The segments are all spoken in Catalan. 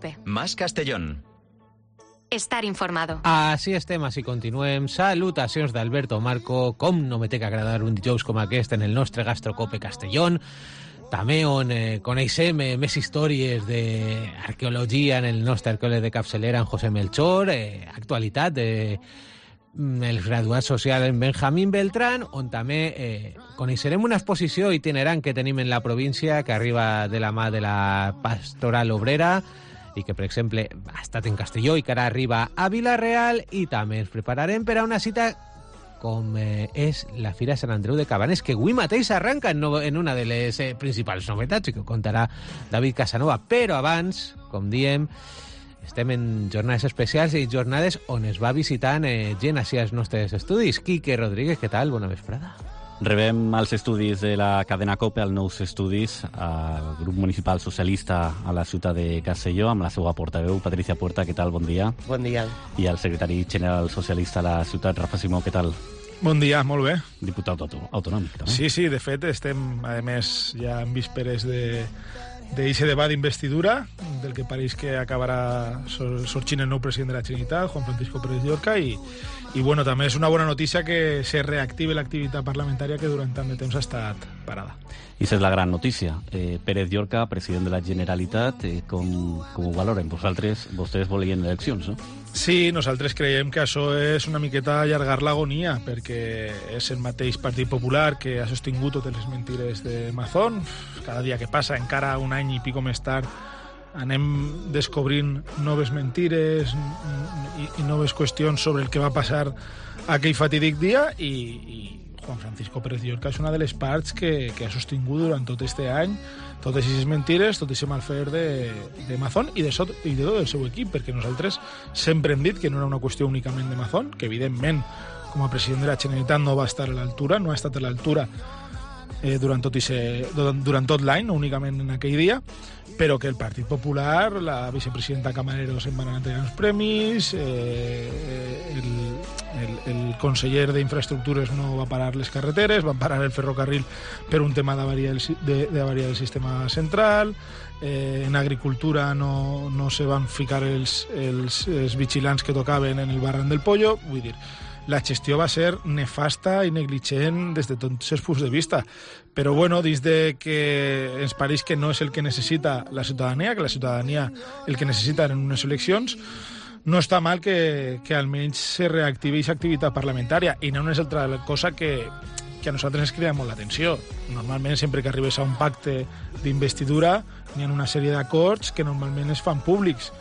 COPE. Más Castellón. Estar informado. Així estem, així continuem. Salutacions d'Alberto Marco. Com no me té que agradar un dijous com aquest en el nostre Gastrocope Castellón, també on coneixem més històries d'arqueologia en el nostre arqueòleg de capçalera, en José Melchor, actualitat el graduat social en Benjamín Beltrán, on també coneixerem una exposició itinerant que tenim en la província que arriba de la mà de la Pastoral Obrera i que, per exemple, ha estat en Castelló i que ara arriba a Vila-real, i també ens prepararem per a una cita com és la Fira Sant Andreu de Cabanes, que avui mateix arranca en una de les principals novetats i que contarà David Casanova. Però abans, com diem, estem en jornades especials i jornades on es va visitant gent així als nostres estudis. Quique Rodríguez, què tal? Bona vesprada. Rebem als estudis de la cadena COPE, als nous estudis, al grup municipal socialista a la ciutat de Castelló, amb la seva portaveu, Patricia Puerta. Què tal? Bon dia. Bon dia. I el secretari general socialista a la ciutat, Rafa Simó. Què tal? Bon dia, molt bé. Diputat autonòmic, també. Sí, de fet, estem, a més, ja en vísperes d'eixe debat d'investidura, del que pareix que acabarà sorgint el nou president de la Generalitat, Juan Francisco Pérez Llorca, i bueno, també és una bona notícia que se reactive l'activitat parlamentària que durant tant de temps ha estat parada. I és la gran notícia. Pérez Llorca, president de la Generalitat, com ho valoren? Vostès volien eleccions, no? Sí, nosaltres creiem que això és una miqueta allargar l'agonia, perquè és el mateix Partit Popular que ha sostingut totes les mentires de Mazón. Cada dia que passa, encara un any i pico més tard, anem descobrint noves mentires i noves qüestions sobre el que va passar aquell fatídic dia, i Juan Francisco Pérez Llorca és una de les parts que ha sostingut durant tot este any totes aquestes mentires, tot aquest malfer de Mazón i de tot el seu equip, perquè nosaltres sempre hem dit que no era una qüestió únicament de Mazón, que evidentment com a president de la Generalitat no va estar a l'altura, no ha estat a l'altura durant tot l'any, no únicament en aquell dia, però que el Partit Popular, la vicepresidenta Camarero se'n van anar entregant els premis, el conseller d'Infraestructures no va parar les carreteres, van parar el ferrocarril per un tema d'avaria del sistema central, en agricultura no se van ficar els vigilants que tocaven en el barran del Pollo, vull dir, la gestió va ser nefasta i negligent des de tots els punts de vista. Però, bueno, dins de que ens pareix que no és el que necessita la ciutadania, que la ciutadania el que necessita en unes eleccions, no està mal que almenys se reactivi aquesta activitat parlamentària, i no és altra cosa que a nosaltres ens crida molt l'atenció. Normalment, sempre que arribes a un pacte d'investidura, hi ha una sèrie d'acords que normalment es fan públics.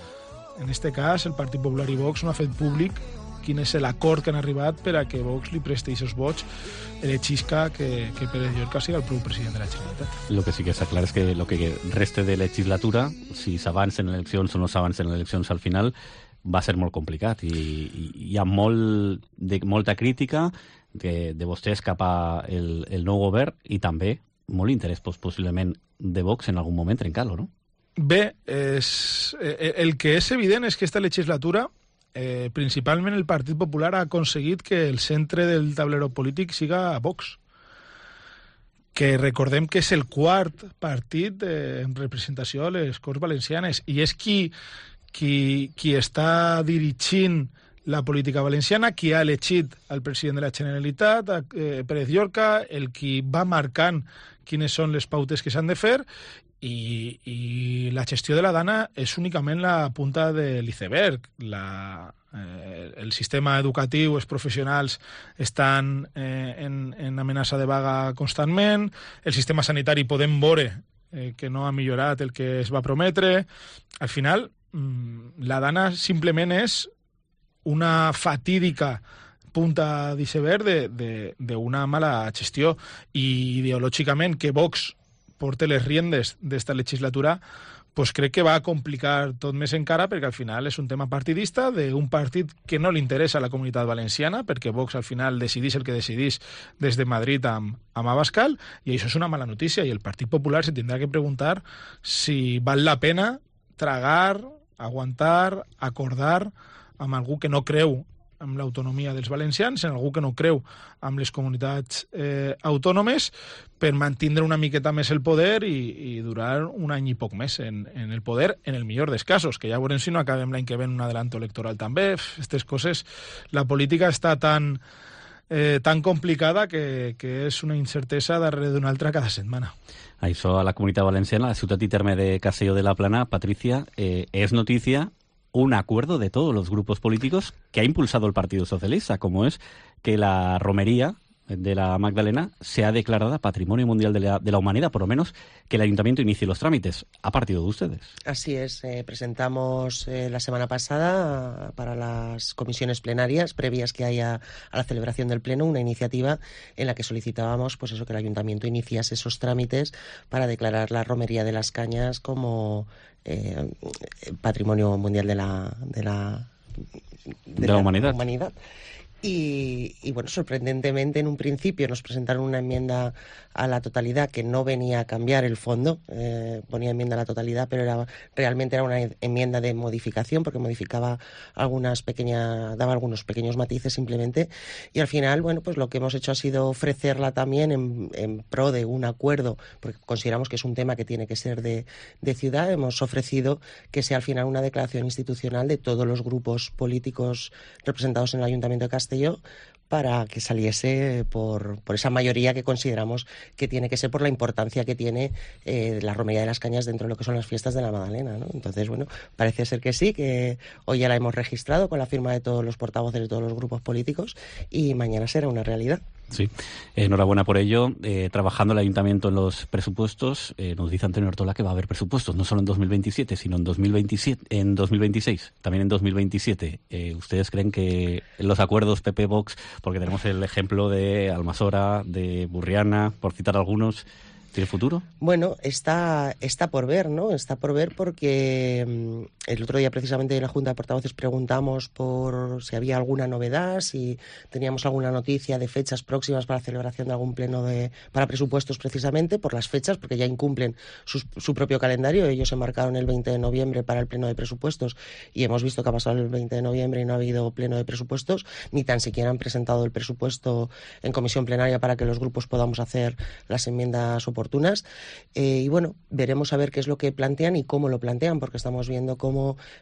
En aquest cas, el Partit Popular i Vox no ha fet públic quin és l'acord que han arribat per a que Vox li presti aquests vots elegixca que Pérez Llorca sigui el president de la Generalitat. Lo que sí que està clar és que el que reste de legislatura, si s'avancen eleccions o no s'avancen eleccions al final, va ser molt complicat, i hi ha molta crítica de vostès cap al nou govern, i també molt interès possiblement de Vox en algun moment trencar-lo, no? Bé, el que és evident és que aquesta legislatura principalment el Partit Popular ha aconseguit que el centre del tablero polític siga Vox, que recordem que és el quart partit en representació a les Corts Valencianes, i és qui està dirigint la política valenciana, qui ha elegit el president de la Generalitat, Pérez Llorca, el qui va marcant quines són les pautes que s'han de fer, i la gestió de la Dana és únicament la punta de l'iceberg. El sistema educatiu, els professionals estan en amenaça de vaga constantment, el sistema sanitari podem veure que no ha millorat el que es va prometre. Al final, la Dana simplement és una fatídica punta d'iceberg d'una mala gestió, i ideològicament que Vox porta les riendes d'esta legislatura, pues crec que va a complicar tot més encara, perquè al final és un tema partidista d'un partit que no li interessa a la comunitat valenciana, perquè Vox al final decidís el que decidís des de Madrid amb Abascal, i això és una mala notícia, i el Partit Popular se tindrà que preguntar si val la pena tragar, aguantar, acordar amb algú que no creu amb l'autonomia dels valencians, en algú que no creu amb les comunitats autònomes, per mantindre una miqueta més el poder i durar un any i poc més en el poder, en el millor dels casos, que ja veurem si no acabem l'any que ve en un adelanto electoral també. Aquestes coses, la política està tan complicada que és una incertesa darrere d'una altra cada setmana. Això a la Comunitat Valenciana, la ciutat y terme de Castelló de la Plana, Patricia, es noticia un acuerdo de todos los grupos políticos que ha impulsado el Partido Socialista, como es que la romería de la Magdalena sea declarada Patrimonio Mundial de la Humanidad, por lo menos que el Ayuntamiento inicie los trámites. ¿Ha partido de ustedes? Así es, presentamos la semana pasada para las comisiones plenarias previas que haya a la celebración del Pleno una iniciativa en la que solicitábamos pues eso, que el Ayuntamiento iniciase esos trámites para declarar la romería de las Cañas como Patrimonio Mundial de la Humanidad. Y bueno, sorprendentemente en un principio nos presentaron una enmienda a la totalidad que no venía a cambiar el fondo, ponía enmienda a la totalidad, pero realmente era una enmienda de modificación porque modificaba daba algunos pequeños matices simplemente, y al final, bueno, pues lo que hemos hecho ha sido ofrecerla también en pro de un acuerdo, porque consideramos que es un tema que tiene que ser de ciudad. Hemos ofrecido que sea al final una declaración institucional de todos los grupos políticos representados en el Ayuntamiento de Castelló, para que saliese por esa mayoría que consideramos que tiene que ser por la importancia que tiene la romería de las Cañas dentro de lo que son las fiestas de la Magdalena, ¿no? Entonces, bueno, parece ser que sí, que hoy ya la hemos registrado con la firma de todos los portavoces de todos los grupos políticos y mañana será una realidad. Sí, enhorabuena por ello. Trabajando el Ayuntamiento en los presupuestos, nos dice Antonio Ortola que va a haber presupuestos, no solo en 2027, sino en 2026, también en 2027. ¿Ustedes creen que los acuerdos PP-Vox, porque tenemos el ejemplo de Almasora, de Burriana, por citar algunos, ¿tiene futuro? Bueno, está por ver, ¿no? Está por ver porque el otro día precisamente en la Junta de Portavoces preguntamos por si había alguna novedad, si teníamos alguna noticia de fechas próximas para la celebración de algún pleno para presupuestos, precisamente por las fechas, porque ya incumplen su propio calendario. Ellos se marcaron el 20 de noviembre para el pleno de presupuestos y hemos visto que ha pasado el 20 de noviembre y no ha habido pleno de presupuestos, ni tan siquiera han presentado el presupuesto en comisión plenaria para que los grupos podamos hacer las enmiendas oportunas. Y bueno, veremos a ver qué es lo que plantean y cómo lo plantean, porque estamos viendo cómo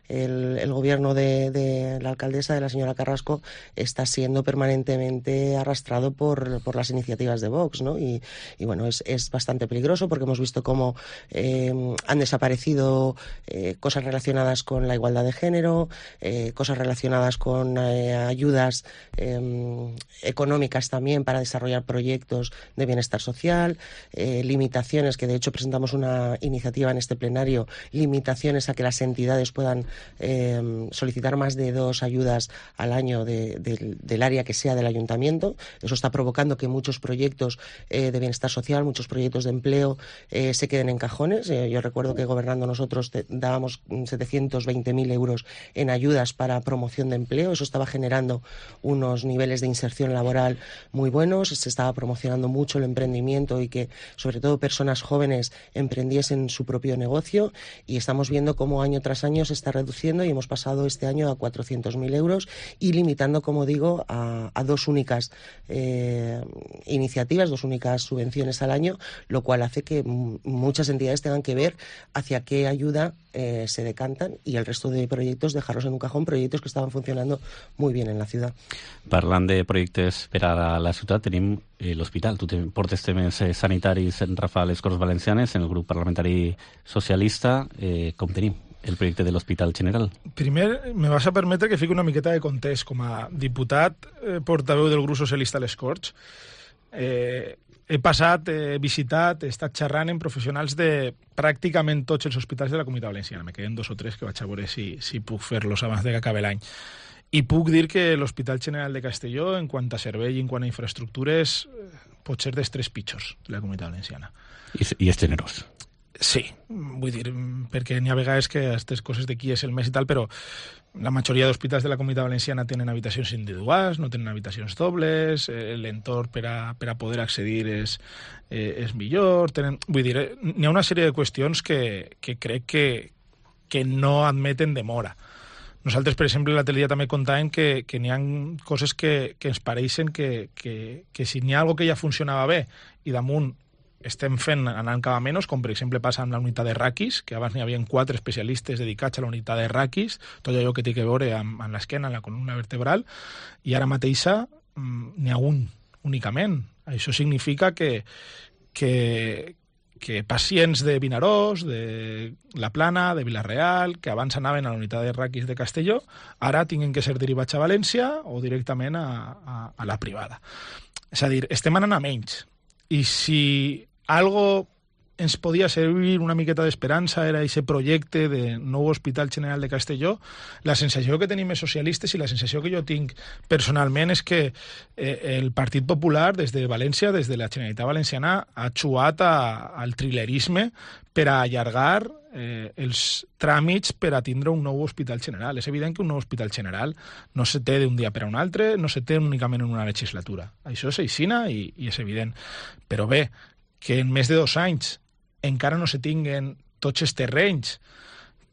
el gobierno de la alcaldesa, de la señora Carrasco, está siendo permanentemente arrastrado por las iniciativas de Vox, ¿no? Y bueno, es bastante peligroso porque hemos visto cómo han desaparecido cosas relacionadas con la igualdad de género, cosas relacionadas con ayudas económicas también para desarrollar proyectos de bienestar social, limitaciones, que de hecho presentamos una iniciativa en este plenario, limitaciones a que las entidades puedan solicitar más de 2 ayudas al año del área que sea del ayuntamiento. Eso está provocando que muchos proyectos de bienestar social, muchos proyectos de empleo se queden en cajones. Yo recuerdo que gobernando nosotros dábamos 720.000 euros en ayudas para promoción de empleo. Eso estaba generando unos niveles de inserción laboral muy buenos, se estaba promocionando mucho el emprendimiento y que sobre todo personas jóvenes emprendiesen su propio negocio, y estamos viendo cómo año tras año se está reduciendo y hemos pasado este año a 400.000 euros y limitando, como digo, a 2 únicas iniciativas, 2 únicas subvenciones al año, lo cual hace que muchas entidades tengan que ver hacia qué ayuda se decantan y el resto de proyectos dejarlos en un cajón, proyectos que estaban funcionando muy bien en la ciudad. Parlant de projectes per a la ciutat, tenim l'hospital. Tu portes temes sanitaris en Rafa a les Corts Valencianes, en el grup parlamentari socialista. Com tenim el projecte de l'Hospital General? Primer, me vas a permetre que fiqui una miqueta de context. Com a diputat portaveu del grup socialista a les Corts, he passat, he visitat, he estat xerrant amb professionals de pràcticament tots els hospitals de la Comunitat Valenciana. Me queden 2 o 3 que vaig a veure si puc fer-los abans de que acabi l'any. I puc dir que l'Hospital General de Castelló, en quant a servei i en quant a infraestructures, pot ser dels 3 pitjors de la Comunitat Valenciana. I és generós. Sí, vull dir, perquè n'hi ha vegades que aquestes coses de qui és el més i tal, però la majoria d'hospitals de la Comunitat Valenciana tenen habitacions individuals, no tenen habitacions dobles, l'entorn per a poder accedir és millor. Vull dir, n'hi ha una sèrie de qüestions que crec que no admeten demora. Nosaltres, per exemple, l'altre dia també contàvem que n'hi ha coses que ens pareixen que si n'hi ha alguna que ja funcionava bé i damunt estem fent anant cada menys, com per exemple passa amb la unitat de raquis, que abans n'hi havia 4 especialistes dedicats a la unitat de raquis, tot allò que té a veure amb l'esquena, amb la columna vertebral, i ara mateixa n'hi ha un únicament. Això significa que pacients de Vinaròs, de La Plana, de Vila-real, que abans anaven a la unitat de raquis de Castelló, ara tinguin que ser derivats a València o directament a la privada. És a dir, estem anant a menys. I si algo ens podia servir una miqueta d'esperança era aquest projecte de nou Hospital General de Castelló, la sensació que tenim els socialistes i la sensació que jo tinc personalment és que el Partit Popular des de València, des de la Generalitat Valenciana, ha xuat al trilerisme per a allargar els tràmits per a tindre un nou Hospital General. És evident que un nou Hospital General no se té d'un dia per a un altre, no se té únicament en una legislatura. Això és aixina i és evident. Però bé, que en més de 2 anys encara no se tinguen tots els terrenys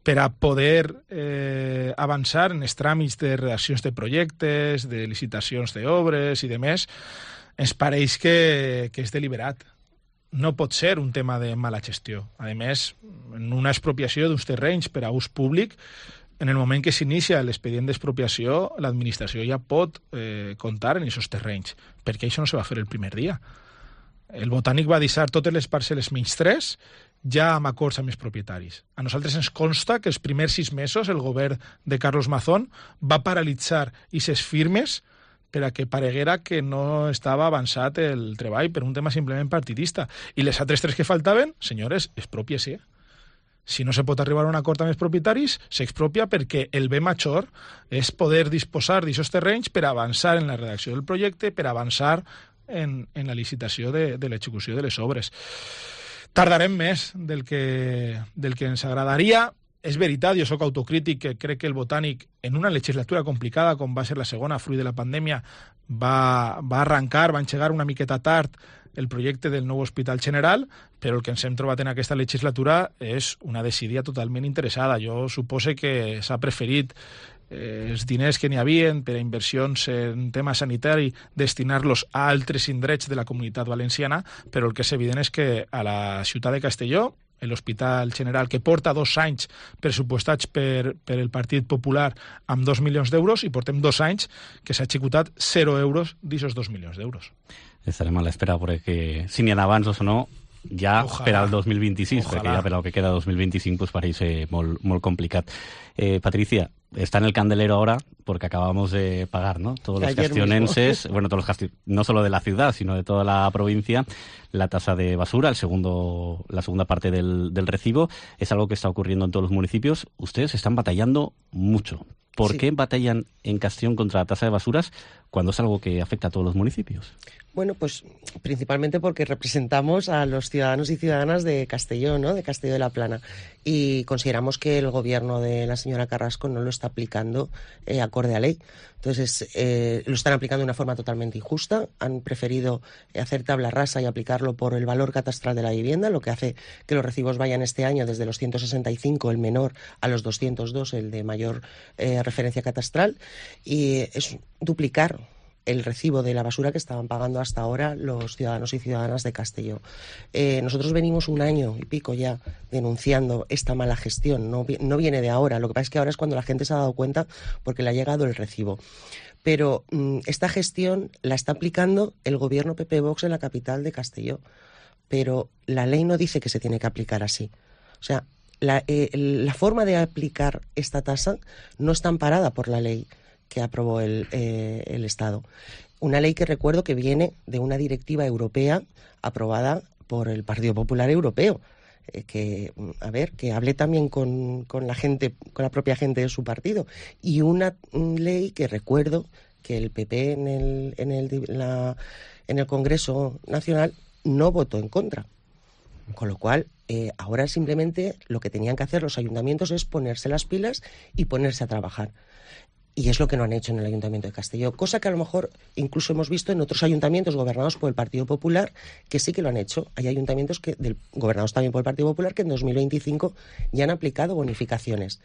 per a poder avançar en els tràmits de redaccions de projectes, de licitacions d'obres i de més, ens pareix que és deliberat. No pot ser un tema de mala gestió. A més, en una expropiació d'uns terrenys per a ús públic, en el moment que s'inicia l'expedient d'expropiació, l'administració ja pot comptar en aquests terrenys, perquè això no se va fer el primer dia. El Botànic va deixar totes les parcel·les menys 3 ja amb acords amb els propietaris. A nosaltres ens consta que els primers 6 mesos el govern de Carlos Mazón va paralitzar aquestes firmes per a que pareguera que no estava avançat el treball per un tema simplement partidista. I les altres 3 que faltaven, senyores, expropiese. Si no se pot arribar a un acord amb els propietaris, s'expropia perquè el bé major és poder disposar d'aquests terrenys per avançar en la redacció del projecte, per avançar en la licitació de l'execució de les obres. Tardarem més del que ens agradaria. És veritat, jo sóc autocrític, que crec que el Botànic, en una legislatura complicada com va ser la segona, fruit de la pandèmia, va arrencar, va engegar una miqueta tard el projecte del nou Hospital General, però el que ens hem trobat en aquesta legislatura és una desídia totalment interessada. Jo supose que s'ha preferit els diners que n'hi havia per a inversions en tema sanitari destinar-los a altres indrets de la Comunitat Valenciana, però el que és evident és que a la ciutat de Castelló, l'Hospital General, que porta 2 anys pressupostats per el Partit Popular amb 2 milions d'euros, i portem 2 anys que s'ha executat 0 euros d'aquests 2 milions d'euros. Estarem a l'espera perquè si n'hi ha avanços o no, ja per al 2026, Ojalá. perquè ja per al que queda 2025 pues pareix molt complicat. Patricia, está en el candelero ahora porque acabamos de pagar, ¿no? Todos los castionenses, bueno, todos los no solo de la ciudad, sino de toda la provincia, la tasa de basura, la segunda parte del recibo. Es algo que está ocurriendo en todos los municipios. Ustedes están batallando mucho. ¿Por qué batallan en Castellón contra la tasa de basuras cuando es algo que afecta a todos los municipios? Bueno, pues principalmente porque representamos a los ciudadanos y ciudadanas de Castellón, ¿no? De Castelló de la Plana, y consideramos que el gobierno de la señora Carrasco no lo está aplicando acorde a ley. Entonces, lo están aplicando de una forma totalmente injusta. Han preferido hacer tabla rasa y aplicarlo por el valor catastral de la vivienda, lo que hace que los recibos vayan este año desde los 165, el menor, a los 202, el de mayor referencia catastral, y es duplicar el recibo de la basura que estaban pagando hasta ahora los ciudadanos y ciudadanas de Castelló. Nosotros venimos 1 año y pico ya denunciando esta mala gestión, no viene de ahora, lo que pasa es que ahora es cuando la gente se ha dado cuenta porque le ha llegado el recibo. Pero esta gestión la está aplicando el gobierno PP-Vox en la capital de Castelló, pero la ley no dice que se tiene que aplicar así. O sea, la forma de aplicar esta tasa no está amparada por la ley que aprobó el Estado. Una ley que recuerdo que viene de una directiva europea aprobada por el Partido Popular Europeo, que hable también con la gente, con la propia gente de su partido, y una ley que recuerdo que el PP en el Congreso Nacional no votó en contra. Con lo cual, ahora simplemente lo que tenían que hacer los ayuntamientos es ponerse las pilas y ponerse a trabajar. Y es lo que no han hecho en el Ayuntamiento de Castelló, cosa que a lo mejor incluso hemos visto en otros ayuntamientos gobernados por el Partido Popular, que sí que lo han hecho. Hay ayuntamientos gobernados también por el Partido Popular que en 2025 ya han aplicado bonificaciones.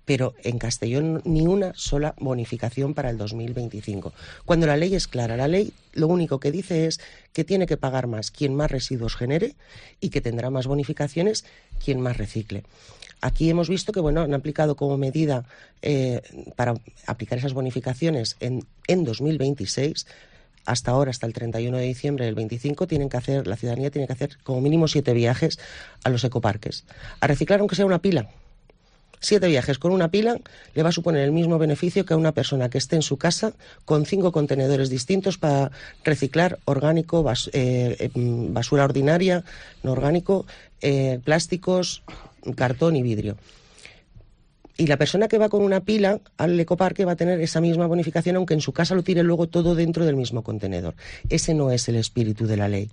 pero en Castellón ni una sola bonificación para el 2025. Cuando la ley es clara, la ley lo único que dice es que tiene que pagar más quien más residuos genere y que tendrá más bonificaciones quien más recicle. Aquí hemos visto que han aplicado como medida para aplicar esas bonificaciones en 2026. Hasta ahora, hasta el 31 de diciembre del 25, la ciudadanía tiene que hacer como mínimo 7 viajes a los ecoparques. A reciclar aunque sea una pila. 7 viajes con una pila le va a suponer el mismo beneficio que a una persona que esté en su casa con 5 contenedores distintos para reciclar orgánico, basura ordinaria, no orgánico, plásticos, cartón y vidrio. Y la persona que va con una pila al ecoparque va a tener esa misma bonificación, aunque en su casa lo tire luego todo dentro del mismo contenedor. Ese no es el espíritu de la ley.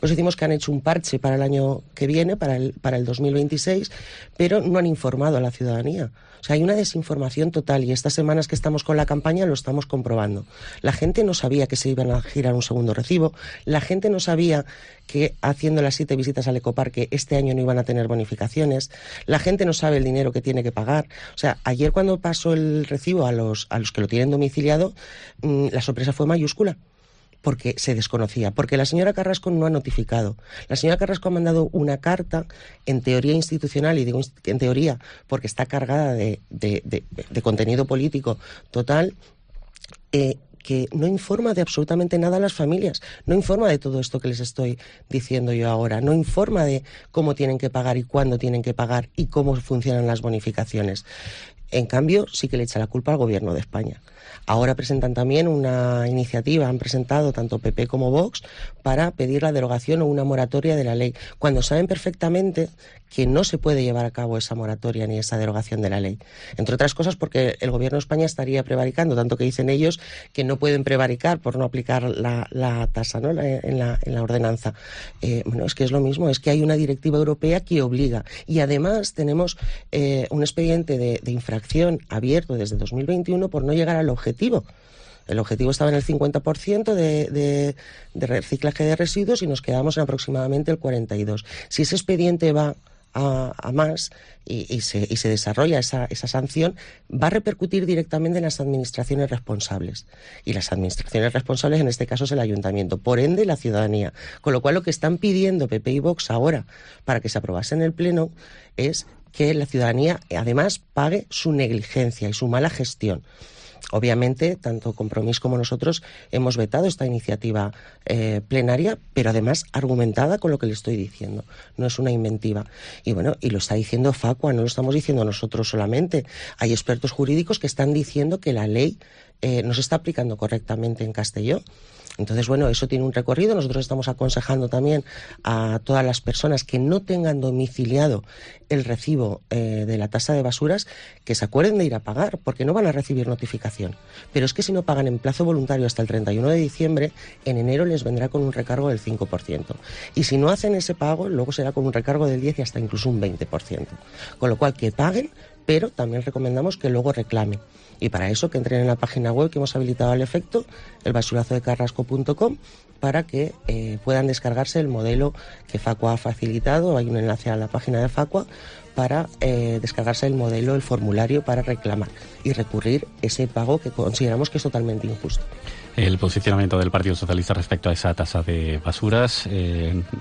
Pues decimos que han hecho un parche para el año que viene, para el 2026, pero no han informado a la ciudadanía. O sea, hay una desinformación total y estas semanas que estamos con la campaña lo estamos comprobando. La gente no sabía que se iban a girar un segundo recibo, la gente no sabía que haciendo las 7 visitas al ecoparque este año no iban a tener bonificaciones, la gente no sabe el dinero que tiene que pagar. O sea, ayer cuando pasó el recibo a los que lo tienen domiciliado, la sorpresa fue mayúscula. Porque se desconocía, porque la señora Carrasco no ha notificado. La señora Carrasco ha mandado una carta, en teoría institucional, y digo en teoría porque está cargada de contenido político total, que no informa de absolutamente nada a las familias, no informa de todo esto que les estoy diciendo yo ahora, no informa de cómo tienen que pagar y cuándo tienen que pagar y cómo funcionan las bonificaciones. En cambio, sí que le echa la culpa al Gobierno de España. Ahora presentan también una iniciativa, han presentado tanto PP como Vox, para pedir la derogación o una moratoria de la ley, cuando saben perfectamente que no se puede llevar a cabo esa moratoria ni esa derogación de la ley. Entre otras cosas porque el Gobierno de España estaría prevaricando, tanto que dicen ellos que no pueden prevaricar por no aplicar la tasa, ¿no?, en la ordenanza. Es que es lo mismo, es que hay una directiva europea que obliga. Y además tenemos un expediente de infracción abierto desde 2021 por no llegar al objetivo. El objetivo estaba en el 50% de reciclaje de residuos y nos quedamos en aproximadamente el 42%. Si ese expediente va a más y se desarrolla esa sanción, va a repercutir directamente en las administraciones responsables. Y las administraciones responsables, en este caso, es el ayuntamiento, por ende la ciudadanía. Con lo cual, lo que están pidiendo PP y Vox ahora para que se aprobase en el Pleno es que la ciudadanía, además, pague su negligencia y su mala gestión. Obviamente, tanto Compromís como nosotros hemos vetado esta iniciativa plenaria, pero además argumentada con lo que le estoy diciendo. No es una inventiva. Y lo está diciendo Facua, no lo estamos diciendo nosotros solamente. Hay expertos jurídicos que están diciendo que la ley no se está aplicando correctamente en Castelló. Entonces, eso tiene un recorrido. Nosotros estamos aconsejando también a todas las personas que no tengan domiciliado el recibo de la tasa de basuras que se acuerden de ir a pagar, porque no van a recibir notificación. Pero es que si no pagan en plazo voluntario hasta el 31 de diciembre, en enero les vendrá con un recargo del 5%. Y si no hacen ese pago, luego será con un recargo del 10% y hasta incluso un 20%. Con lo cual, que paguen, pero también recomendamos que luego reclamen. Y para eso que entren en la página web que hemos habilitado al efecto, elbasurazodecarrasco.com, para que puedan descargarse el modelo que Facua ha facilitado. Hay un enlace a la página de Facua para descargarse el modelo, el formulario para reclamar y recurrir ese pago que consideramos que es totalmente injusto. El posicionamiento del Partido Socialista respecto a esa tasa de basuras.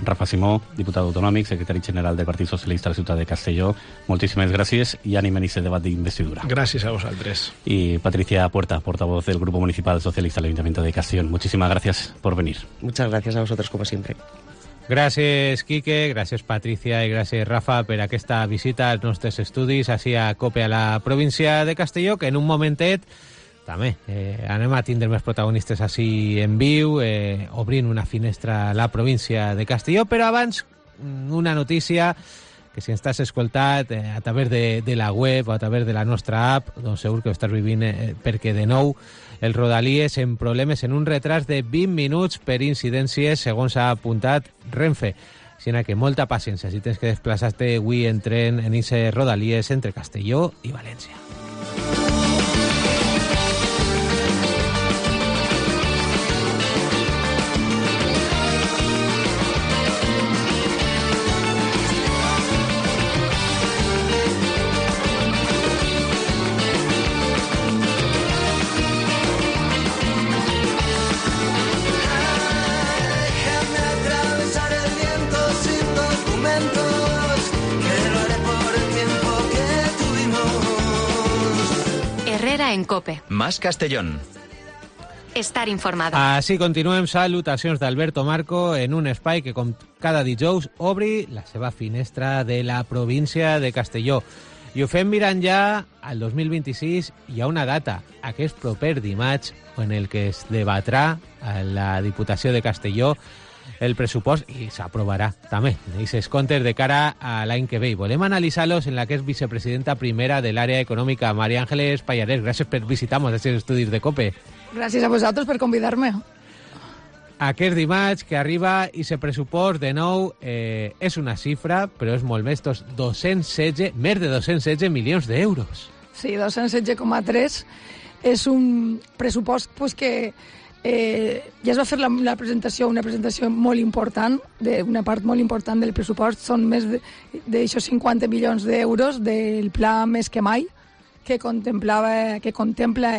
Rafa Simó, diputat autonòmic, secretari general del Partit Socialista a la ciutat de Castelló. Moltíssimes gràcies i ànim en este debat d'investidura. Gracias a vosotros. Y Patricia Puerta, portavoz del Grupo Municipal Socialista del Ayuntamiento de Castellón. Muchísimas gracias por venir. Muchas gracias a vosotros, como siempre. Gràcies, Quique, gràcies, Patricia, i gràcies, Rafa, per aquesta visita als nostres estudis així a COPE a la província de Castelló, que en un momentet també anem a tindre més protagonistes així en viu, obrint una finestra a la província de Castelló, però abans una notícia que si ens estàs escoltat a través de la web o a través de la nostra app, doncs segur que ho estàs vivint perquè de nou el Rodalies en problemes, en un retras de 20 minuts per incidències, segons ha apuntat Renfe. Així que molta paciència si tens que desplaçar-te avui en tren en ese Rodalies entre Castelló i València. Ara en COPE. Más Castellón. Estar informado. Així continuem. Salutacions d'Alberto Marco en un espai que, com cada dijous, obri la seva finestra de la província de Castelló. I ho fem mirant ja al 2026. Hi ha una data, aquest proper dimarts, en el que es debatrà a la Diputació de Castelló el pressupost i s'aprovarà també aquests comptes de cara a l'any que ve. I volem analitzar-los en la que és vicepresidenta primera de l'àrea econòmica, María Ángeles Pallarés. Gràcies per visitar-nos als estudis de COPE. Gràcies a vosaltres per convidar-me. Aquest dimarts que arriba i se pressupost de nou és una xifra, però és molt més, més de 216 milions d'euros. Sí, 216,3 és un pressupost que ja es va fer una presentació molt important, una part molt important del pressupost, són més d'aixòs 50 milions d'euros del pla Més que Mai, que contempla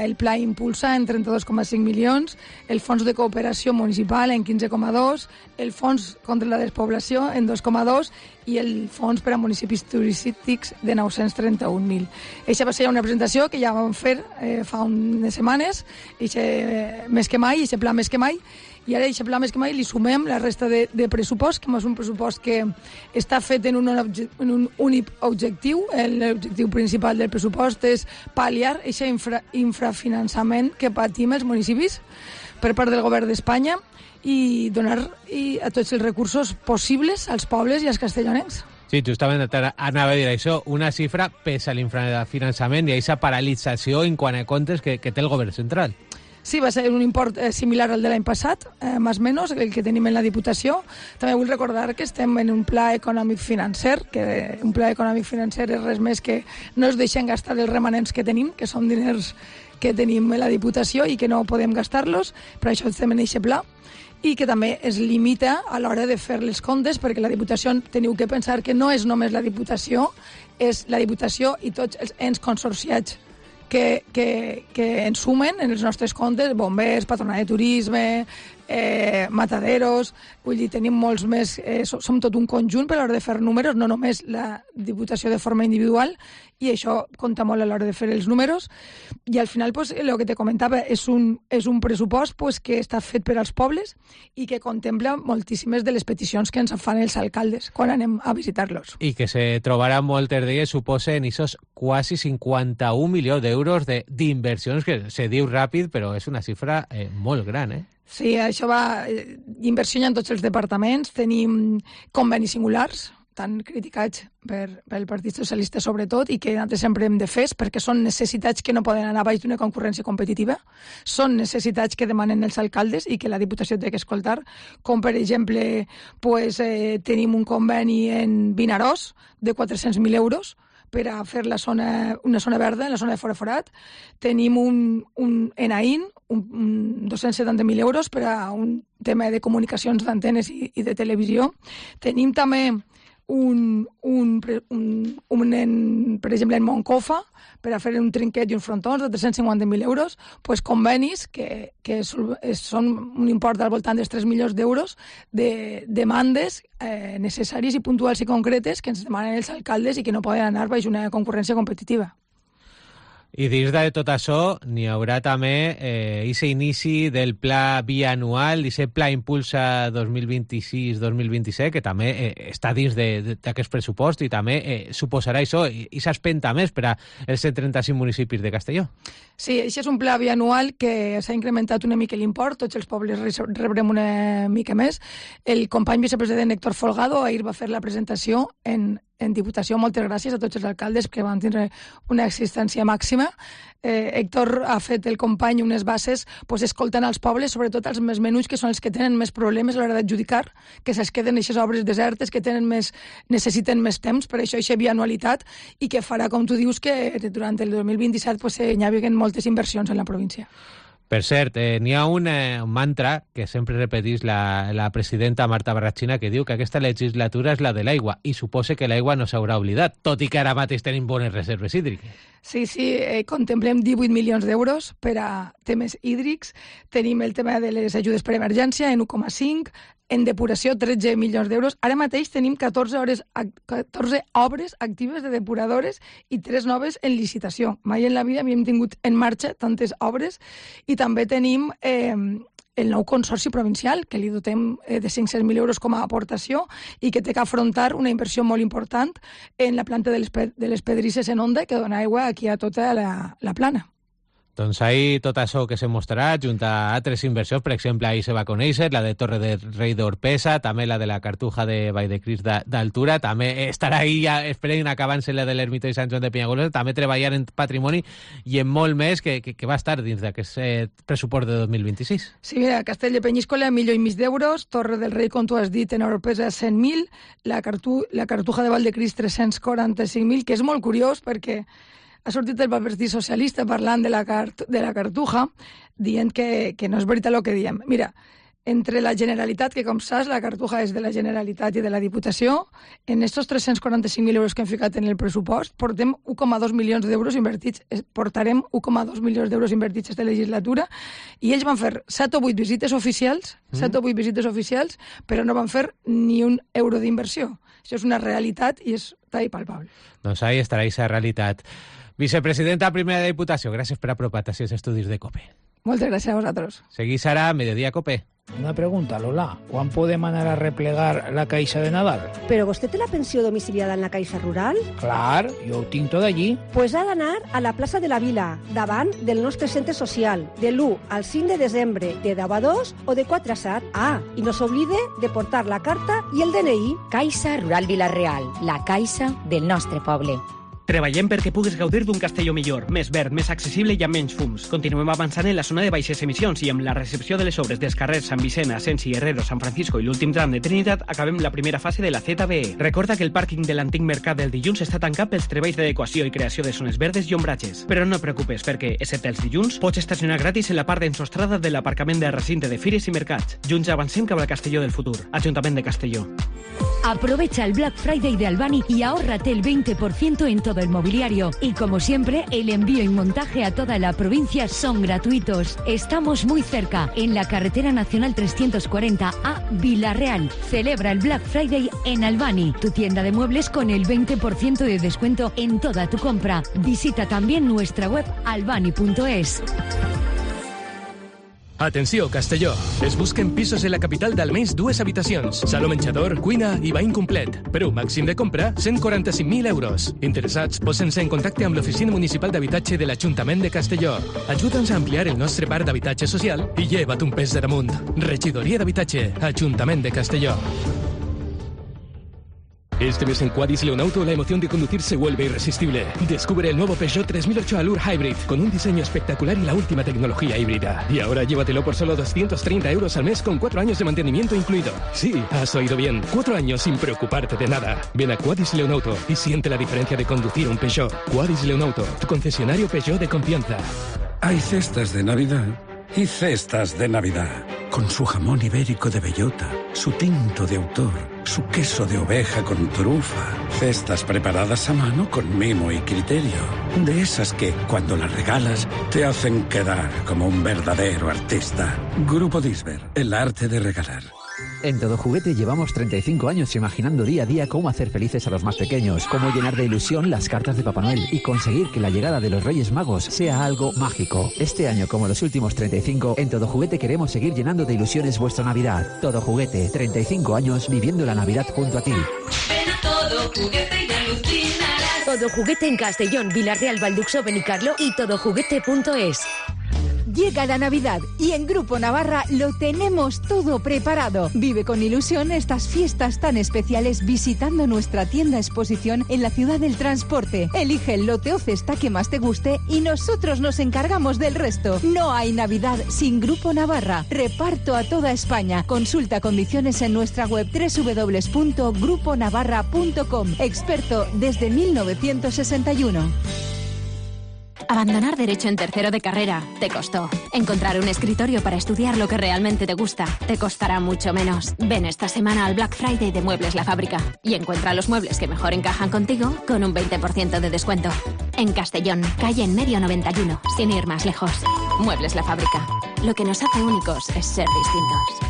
el Pla Impulsa en 32,5 milions, el Fons de Cooperació Municipal en 15,2, el Fons contra la Despoblació en 2,2 i el Fons per a Municipis Turístics de 931.000. Eixa va ser una presentació que ja vam fer fa unes setmanes, Més que Mai, Pla Més que Mai, i ara a aquest pla Més que Mai li sumem la resta de pressupost, que és un pressupost que està fet en un únic objectiu. L'objectiu principal del pressupost és pal·liar aquest infrafinançament que patim els municipis per part del govern d'Espanya i donar a tots els recursos possibles als pobles i als castellonencs. Sí, justament anava a dir això, una xifra pesa l'infrafinançament i aquesta paralització en quant a comptes que té el govern central. Sí, va ser un import similar al de l'any passat, més o menys, el que tenim en la Diputació. També vull recordar que estem en un pla econòmic-financer, que un pla econòmic-financer és res més que no es deixen gastar els remanents que tenim, que són diners que tenim en la Diputació i que no podem gastar-los, per això estem en aquest pla, i que també es limita a l'hora de fer les comptes, perquè la Diputació teniu que pensar que no és només la Diputació, és la Diputació i tots els ens consorciats que ens sumen en els nostres comptes, bombers, patronat de turisme, mataderos, vull dir, tenim molts més, som tot un conjunt per a l'hora de fer números, no només la Diputació de forma individual, i això compta molt a l'hora de fer els números, i al final, pues, el que te comentava, és un pressupost pues, que està fet per als pobles i que contempla moltíssimes de les peticions que ens fan els alcaldes quan anem a visitar-los. I que se trobaran moltes d'elles, suposen aquests quasi 51 milions d'euros d'inversions, que se diu ràpid, però és una xifra molt gran, Sí, això va inversió en tots els departaments. Tenim convenis singulars, tan criticats pel Partit Socialista sobretot, i que nosaltres sempre hem defès, perquè són necessitats que no poden anar baix d'una concurrència competitiva, són necessitats que demanen els alcaldes i que la Diputació té que escoltar, com per exemple pues, tenim un conveni en Vinaròs de 400.000 euros per a fer una zona verda, en la zona de Forat. Tenim en AIN, 270.000 euros per a un tema de comunicacions d'antenes i de televisió. Tenim també per exemple, en Moncofa, per a fer un trinquet i uns frontons de 350.000 euros, pues convenis que són un import al voltant dels 3 milions d'euros de demandes necessàries i puntuals i concretes que ens demanen els alcaldes i que no poden anar baix una concurrència competitiva. I dins de tot això n'hi haurà també aquest inici del pla bianual, aquest pla Impulsa 2026-2027, que també està dins d'aquest pressupost i també suposarà això, i s'espenta més per als 135 municipis de Castelló. Sí, això és un pla bianual que s'ha incrementat una mica l'import, tots els pobles rebrem una mica més. El company vicepresident Héctor Folgado ahir va fer la presentació en Diputació. Moltes gràcies a tots els alcaldes que van tindre una existència màxima. Héctor ha fet el company unes bases escoltant als pobles, sobretot als més menuts, que són els que tenen més problemes a l'hora d'adjudicar, que se'ls queden aquestes obres desertes, que necessiten més temps, per això aquesta bianualitat, i que farà, com tu dius, que durant el 2027 hi hagi moltes inversions en la província. Per cert, n'hi ha un mantra que sempre repetís la presidenta Marta Barrachina, que diu que aquesta legislatura és la de l'aigua, i suposa que l'aigua no s'haurà oblidat, tot i que ara mateix tenim bones reserves hídriques. Sí, contemplem 18 milions d'euros per a temes hídrics. Tenim el tema de les ajudes per emergència en 1,5, En depuració, 13 milions d'euros. Ara mateix tenim 14 obres actives de depuradores i 3 noves en licitació. Mai en la vida havíem tingut en marxa tantes obres. I també tenim el nou consorci provincial, que li dotem de 500.000 euros com a aportació i que té que afrontar una inversió molt important en la planta de les pedrisses en Onda, que dona aigua aquí a tota la plana. Doncs ahí tot això que se mostrarà, junt a altres inversions, per exemple, ahir se va conèixer la de Torre de Rei d'Orpesa, també la de la Cartuja de Vall de Cris d'Altura, també estarà ahí, ja esperem acabant-se la de l'Ermita i Sant Joan de Penyagolosa, també treballar en patrimoni i en molt més que va estar dins d'aquest pressupost de 2026. Sí, mira, Castell de Penyíscola, 1,5 milions d'euros, Torre del Rei, com tu has dit, en Orpesa, 100.000, la Cartuja de Vall de Cris, 345.000, que és molt curiós perquè ha sortit el Partit Socialista parlant de la Cartuja, dient que no és veritat el que diem. Mira, entre la Generalitat, que com saps, la Cartuja és de la Generalitat i de la Diputació, en estos 345.000 euros que hem ficat en el pressupost, portem 1,2 milions d'euros invertits, portarem 1,2 milions d'euros invertits aquesta legislatura, i ells van fer 7 o 8 visites oficials, però no van fer ni un euro d'inversió. Això és una realitat i és tall palpable. Doncs ahí estarà aquesta realitat. Vicepresidenta primera de Diputació, gràcies per apropar-te als estudis de COPE. Moltes gràcies a vosaltres. Seguís ara a Mediodía COPE. Una pregunta, Lola. ¿Cuán podem anar a replegar la Caixa de Nadal? ¿Pero vostè té la pensió domiciliada en la Caixa Rural? Clar, jo ho tinc tot allí. Pues ha d'anar a la plaça de la Vila, davant del nostre centre social, de l'1 al 5 de desembre, de 10 a 2 o de 4 a 7. Ah, i no s'oblide de portar la carta i el DNI. Caixa Rural Vila-real, la caixa del nostre poble. Treballem perquè puguis gaudir d'un Castelló millor, més verd, més accessible i amb menys fums. Continuem avançant en la zona de baixes emissions i amb la recepció de les obres dels carrers Sant Vicent, Asensi, Herrero, Sant Francisco i l'últim tram de Trinitat acabem la primera fase de la ZBE. Recorda que el pàrquing de l'antic mercat del dilluns està tancat pels treballs d'adequació i creació de zones verdes i ombratges. Però no et preocupes perquè, excepte els dilluns, pots estacionar gratis en la part d'ensostrada de l'aparcament del recinte de fires i mercats. Junts avancem cap al Castelló del futur. Ajuntament de Castelló. Aprovecha el Black Friday de Albani y ahórrate el 20% en todo el mobiliario. Y como siempre, el envío y montaje a toda la provincia son gratuitos. Estamos muy cerca, en la carretera nacional 340 a Vila-real. Celebra el Black Friday en Albani, tu tienda de muebles con el 20% de descuento en toda tu compra. Visita también nuestra web albani.es. Atenció, Castelló. Es busquen pisos en la capital d'almenys 2 habitacions, saló menjador, cuina i bany complet. Per un màxim de compra, 145.000 euros. Interessats, posen-se en contacte amb l'Oficina Municipal d'Habitatge de l'Ajuntament de Castelló. Ajuda'ns a ampliar el nostre parc d'habitatge social i lleva't un pes de damunt. Regidoria d'Habitatge, Ajuntament de Castelló. Este mes en Quadis Leonauto la emoción de conducir se vuelve irresistible. Descubre el nuevo Peugeot 3008 Allure Hybrid con un diseño espectacular y la última tecnología híbrida. Y ahora llévatelo por solo 230 euros al mes con 4 años de mantenimiento incluido. Sí, has oído bien. 4 años sin preocuparte de nada. Ven a Quadis Leonauto y siente la diferencia de conducir un Peugeot. Quadis Leonauto, tu concesionario Peugeot de confianza. Hay cestas de Navidad y cestas de Navidad. Con su jamón ibérico de bellota, su tinto de autor, su queso de oveja con trufa. Cestas preparadas a mano con mimo y criterio. De esas que, cuando las regalas, te hacen quedar como un verdadero artista. Grupo Disber, el arte de regalar. En Todo Juguete llevamos 35 años imaginando día a día cómo hacer felices a los más pequeños, cómo llenar de ilusión las cartas de Papá Noel y conseguir que la llegada de los Reyes Magos sea algo mágico. Este año, como los últimos 35, en Todo Juguete queremos seguir llenando de ilusiones vuestra Navidad. Todo Juguete, 35 años viviendo la Navidad junto a ti. Ven a Todo Juguete y alucinarás. Todo Juguete en Castellón, Vila-real, Valduxó, Benicarlo y todojuguete.es. Llega la Navidad y en Grupo Navarra lo tenemos todo preparado. Vive con ilusión estas fiestas tan especiales visitando nuestra tienda exposición en la ciudad del transporte. Elige el lote o cesta que más te guste y nosotros nos encargamos del resto. No hay Navidad sin Grupo Navarra. Reparto a toda España. Consulta condiciones en nuestra web www.gruponavarra.com. Experto desde 1961. Abandonar Derecho en tercero de carrera te costó. Encontrar un escritorio para estudiar lo que realmente te gusta te costará mucho menos. Ven esta semana al Black Friday de Muebles La Fábrica y encuentra los muebles que mejor encajan contigo con un 20% de descuento. En Castellón, calle en medio 91, sin ir más lejos. Muebles La Fábrica. Lo que nos hace únicos es ser distintos.